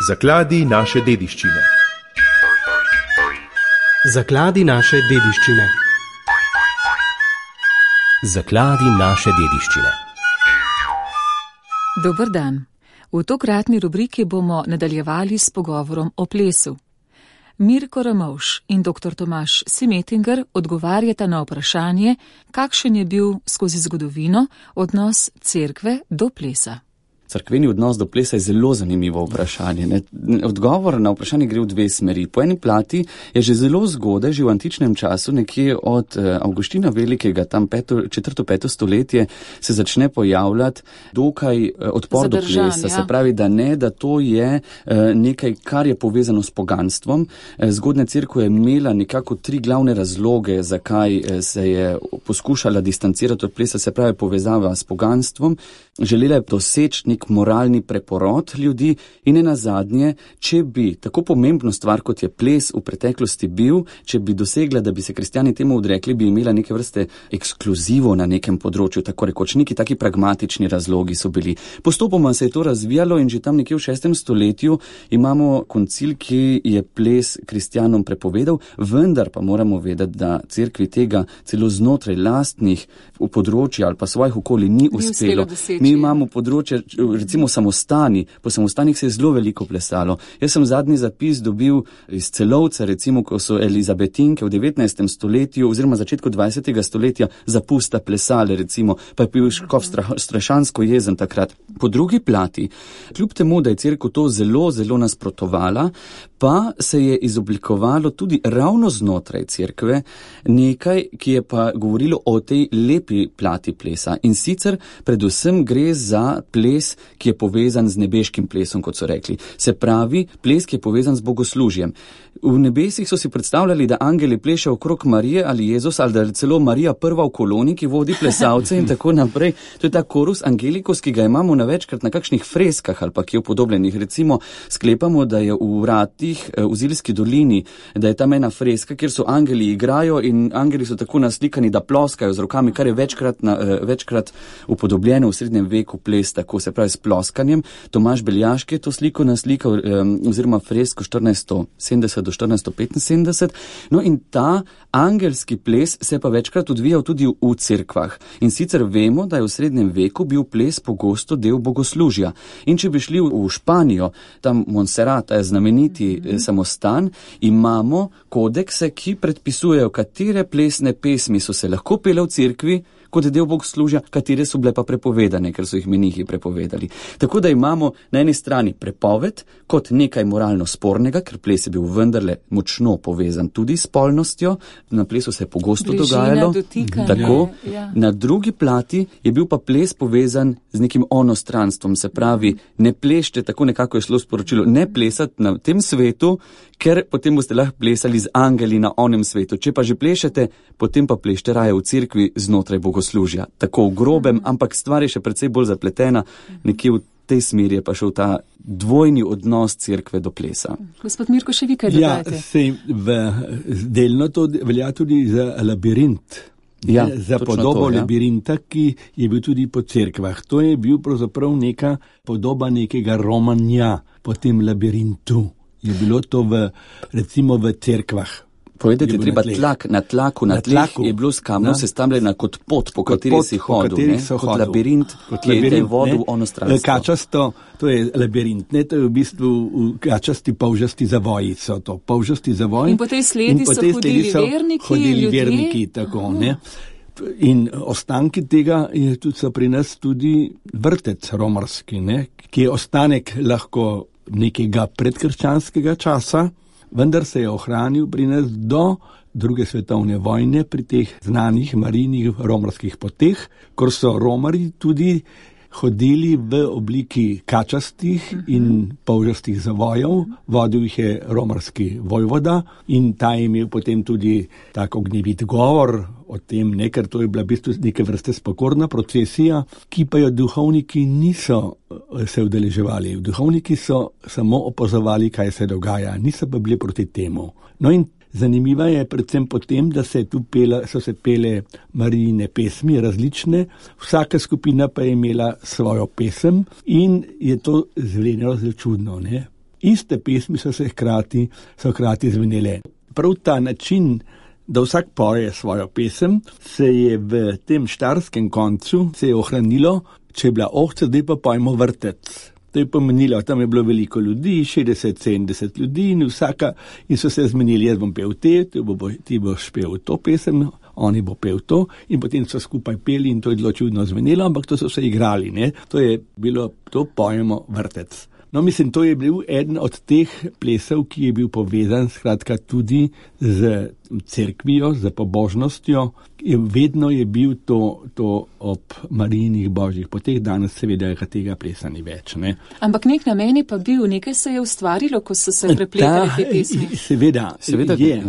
Zakladi naše dediščine. Zakladi naše dediščine. Zakladi naše dediščine. Dober dan. V tokratni rubriki bomo nadaljevali s pogovorom o plesu. Mirko Ramovš in dr. Tomaž Simetinger odgovarjata na vprašanje, kakšen je bil skozi zgodovino odnos cerkve do plesa. Cerkveni odnos do plesa je zelo zanimivo vprašanje. Odgovor na vprašanje gre v dve smeri. Po eni plati je že zelo zgodaj, že v antičnem času, nekje od Avguština Velikega, tam 4.-5. stoletje, se začne pojavljati dokaj odpor do plesa. Ja. Se pravi, da to je nekaj, kar je povezano s poganstvom. Zgodnja cerkev je imela nekako tri glavne razloge, zakaj se je poskušala distancirati od plesa, se pravi povezava s poganstvom. Želela je doseči nek moralni preporod ljudi in nenazadnje, če bi tako pomembno stvar, kot je ples v preteklosti bil, če bi dosegla, da bi se kristjani temu odrekli, bi imela neke vrste ekskluzivo na nekem področju, tako rekoč, neki taki pragmatični razlogi so bili. Postopoma se je to razvijalo in že tam nekje v 6. stoletju imamo koncil, ki je ples kristjanom prepovedal, vendar pa moramo vedeti, da cerkvi tega celo znotraj lastnih področja ali pa svojih okolij ni uspelo. Mi imamo področje, recimo samostani, po samostanih se je zelo veliko plesalo. Jaz sem zadnji zapis dobil iz Celovca, recimo, ko so Elizabetinke v 19. stoletju oziroma začetku 20. stoletja zapusta plesale, recimo, pa je bil škof strašansko jezen takrat. Po drugi plati, kljub temu, da je cerkev to zelo, zelo nasprotovala, pa se je izoblikovalo tudi ravno znotraj cerkve nekaj, ki je pa govorilo o tej lepi plati plesa. In sicer predvsem gre za ples, ki je povezan z nebeškim plesom, kot so rekli. Se pravi, ples, ki je povezan z bogoslužjem. V nebesih so si predstavljali, da angeli plešejo okrog Marije ali Jezus, ali da je celo Marija prva v koloni, ki vodi plesalce in tako naprej. To je ta korus angelikus, ki ga imamo na večkrat na kakšnih freskah ali pa ki je upodobljenih. Recimo, sklepamo, da je v vratih v Zilski dolini, da je tam ena freska, kjer so angeli igrajo in angeli so tako naslikani, da ploskajo z rokami, kar je večkrat upodobljeno v srednjem veku ples, tako se pravi s ploskanjem. Tomaž Beljaški je to sliko naslikal, oziroma fresko 1470 do 1475. No in ta angelski ples se je pa večkrat odvijal tudi v cerkvah. In sicer vemo, da je v srednjem veku bil ples pogosto del bogoslužja. In če bi šli v Španijo, tam Montserrat, je znameniti samostan, imamo kodekse, ki predpisujejo, katere plesne pesmi so se lahko pele v cerkvi, kot del bogoslužja, katere so bile pa prepovedane, ker so jih menihi prepovedali. Tako da imamo na eni strani prepoved kot nekaj moralno spornega, ker ples je bil vendarle močno povezan tudi s spolnostjo, na plesu se je pogosto dogajalo. Tako, na drugi plati je bil pa ples povezan z nekim onostranstvom, se pravi, ne plešte, tako nekako je šlo sporočilo, ne plesati na tem svetu, ker potem boste lahko plesali z angeli na onem svetu. Če pa že plešete, potem pa plešte raje v cerkvi znotraj bogoslužja. Tako v grobem, ampak stvar je še precej bolj zapletena, nekje v tej smeri je pa šel ta dvojni odnos cerkve do plesa. Gospod Mirko, še vi kaj dodajate? Delno to velja tudi za labirint. Za podobo labirinta, ki je bil tudi po cerkvah. To je bil pravzaprav neka podoba nekega romanja po tem labirintu. Je bilo to recimo v cerkvah. Povedati je treba na tlaku je bilo s kamnom sestavljena kot pot, po kateri si hodil, kot labirint, ki je vodil ono stranstvo. Kačasto, to je labirint, to je v bistvu kačasti polžasti zavoji so to, polžasti zavoji. In po tej sledi so hodili verniki, tako, ne. In ostanki tega so pri nas tudi vrtec romarski, ne, ki je ostanek lahko nekega predkrščanskega časa, vendar se je ohranil pri nas do druge svetovne vojne pri teh znanih marijnih romarskih poteh, ko so romari tudi hodili v obliki kačastih in polžastih zavojev, vodil jih je romarski vojvoda in ta je imel potem tudi tak ognjevit govor o tem, ker to je bila v bistvu neke vrste spokorna procesija, ki pa jo duhovniki niso se udeleževali. Duhovniki so samo opazovali, kaj se dogaja, niso pa bili proti temu. No in zanimiva je predvsem potem, da so se pele Marijine pesmi različne, vsaka skupina pa je imela svojo pesem in je to zvenelo zelo čudno, ne? iste pesmi so hkrati zvenele. Prav ta način, da vsak poje svojo pesem, se je v tem štajerskem koncu ohranilo, če je bila ohca, zdaj pa pojmo vrtec. To je pomenilo, tam je bilo veliko ljudi, 60-70 ljudi in so se zmenili, jaz bom pel ti boš pel to pesem, oni bo pel to in potem so skupaj peli in to je zelo čudno zvenelo, ampak to so se igrali, ne. To je bilo, to pojemo vrtec. No, mislim, to je bil eden od teh plesov, ki je bil povezan skratka tudi z cerkvijo, z pobožnostjo. Vedno je bil to ob Marijinih božjih poteh, danes seveda tega plesa ni več, ne. Ampak nek namen je pa bil, nekaj se je ustvarilo, ko so se prepletali te pesmi. Seveda je.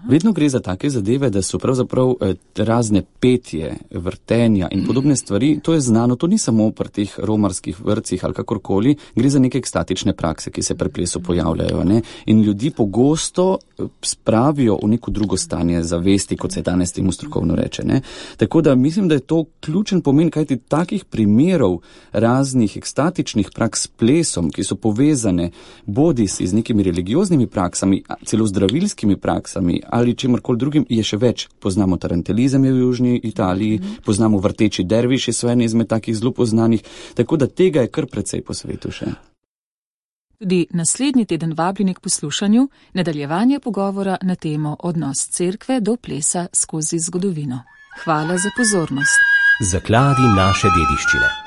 Vedno gre za take zadeve, da so pravzaprav razne petje, vrtenja in podobne stvari. To je znano, to ni samo pri teh romarskih vrtcih ali kakorkoli, gre za neke ekstatične prakse, ki se pri plesu pojavljajo, ne. In ljudi pogosto spravijo v neko drugo stanje zavesti, kot se danes temu strokovno reče, ne. Tako da mislim, da je to ključen pomen, kajti takih primerov raznih ekstatičnih praks s plesom, ki so povezane bodisi z nekimi religioznimi praksami, celo zdravilskimi praksami ali čemorkoli drugim, je še več. Poznamo tarantelizem je v južni Italiji, poznamo vrteči derviši, so eni izmed takih zelo poznanih, tako da tega je kar precej po svetu še. Tudi naslednji teden vabljeni k poslušanju nadaljevanje pogovora na temo odnos cerkve do plesa skozi zgodovino. Hvala za pozornost. Zakladi naše dediščine.